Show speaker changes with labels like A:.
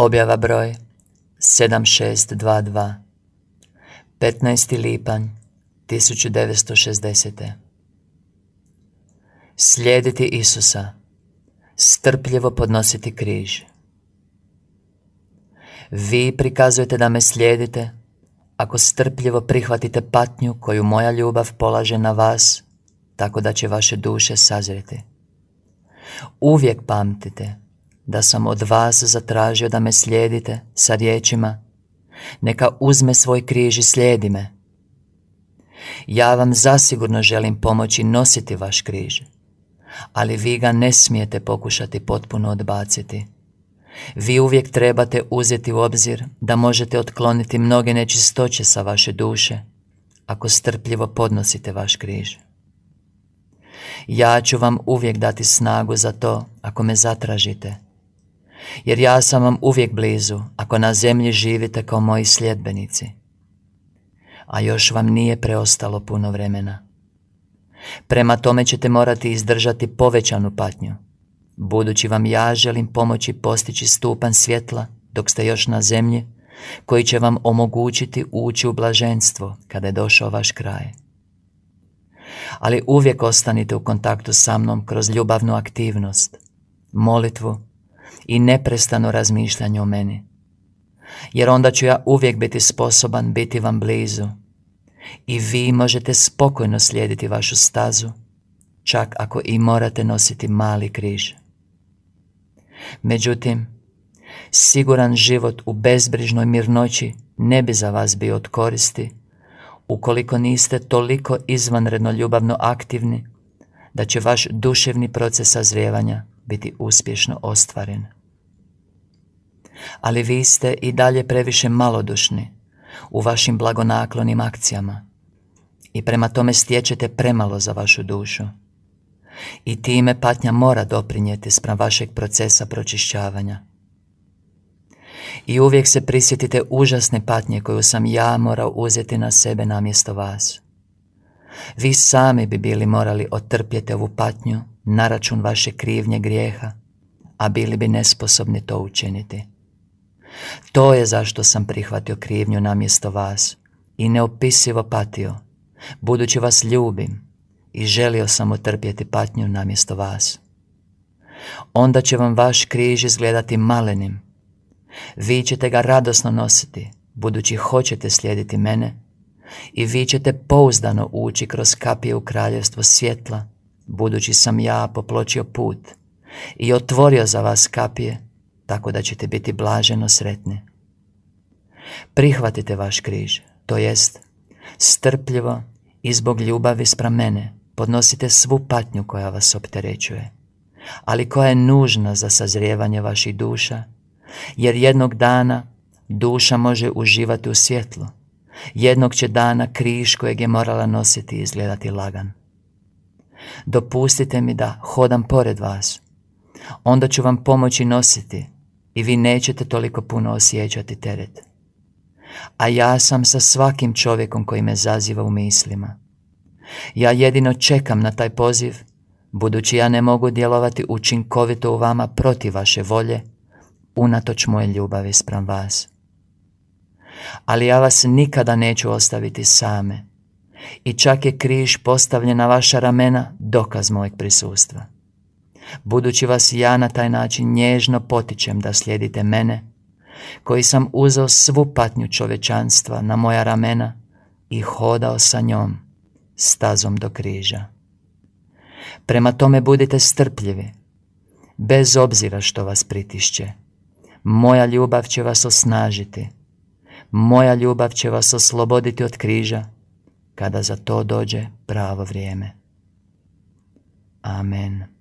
A: Objava broj 7622 15. lipanj 1960. Slijediti Isusa, strpljivo podnositi križ. Vi prikazujete da me slijedite ako strpljivo prihvatite patnju koju moja ljubav polaže na vas, tako da će vaše duše sazreti. Uvijek pamtite da sam od vas zatražio da me slijedite sa riječima: neka uzme svoj križ i slijedi me. Ja vam zasigurno želim pomoći nositi vaš križ, ali vi ga ne smijete pokušati potpuno odbaciti. Vi uvijek trebate uzeti u obzir da možete otkloniti mnoge nečistoće sa vaše duše ako strpljivo podnosite vaš križ. Ja ću vam uvijek dati snagu za to ako me zatražite, jer ja sam vam uvijek blizu ako na zemlji živite kao moji sljedbenici. A još vam nije preostalo puno vremena. Prema tome ćete morati izdržati povećanu patnju, budući vam ja želim pomoći postići stupanj svjetla dok ste još na zemlji, koji će vam omogućiti ući u blaženstvo kada je došao vaš kraj. Ali uvijek ostanite u kontaktu sa mnom kroz ljubavnu aktivnost, molitvu i neprestano razmišljanje o meni, jer onda ću ja uvijek biti sposoban biti vam blizu i vi možete spokojno slijediti vašu stazu, čak ako i morate nositi mali križ. Međutim, siguran život u bezbrižnoj mirnoći ne bi za vas bio od koristi ukoliko niste toliko izvanredno ljubavno aktivni da će vaš duševni proces sazrijevanja biti uspješno ostvaren. Ali vi ste i dalje previše malodušni u vašim blagonaklonim akcijama i prema tome stječete premalo za vašu dušu. I time patnja mora doprinijeti spram vašeg procesa pročišćavanja. I uvijek se prisjetite užasne patnje koju sam ja morao uzeti na sebe namjesto vas. Vi sami bi bili morali otrpjeti ovu patnju na račun vaše krivnje grijeha, a bili bi nesposobni to učiniti. To je zašto sam prihvatio krivnju namjesto vas i neopisivo patio, budući vas ljubim i želio sam otrpjeti patnju namjesto vas. Onda će vam vaš križ izgledati malenim. Vi ćete ga radosno nositi, budući hoćete slijediti mene, i vi ćete pouzdano ući kroz kapije u kraljevstvo svjetla, budući sam ja popločio put i otvorio za vas kapije, tako da ćete biti blaženo sretni. Prihvatite vaš križ, to jest strpljivo i zbog ljubavi spram mene podnosite svu patnju koja vas opterećuje, ali koja je nužna za sazrijevanje vaših duša, jer jednog dana duša može uživati u svjetlu. Jednog će dana križ kojeg je morala nositi izgledati lagan. Dopustite mi da hodam pored vas, onda ću vam pomoći nositi i vi nećete toliko puno osjećati teret. A ja sam sa svakim čovjekom koji me zaziva u mislima. Ja jedino čekam na taj poziv, budući ja ne mogu djelovati učinkovito u vama protiv vaše volje, unatoč moje ljubavi spram vas. Ali ja vas nikada neću ostaviti same i čak je križ postavljen na vaša ramena dokaz mojeg prisustva. Budući vas ja na taj način nježno potičem da slijedite mene, koji sam uzeo svu patnju čovječanstva na moja ramena i hodao sa njom stazom do križa. Prema tome budite strpljivi, bez obzira što vas pritišće. Moja ljubav će vas osnažiti. Moja ljubav će vas osloboditi od križa kada za to dođe pravo vrijeme. Amen.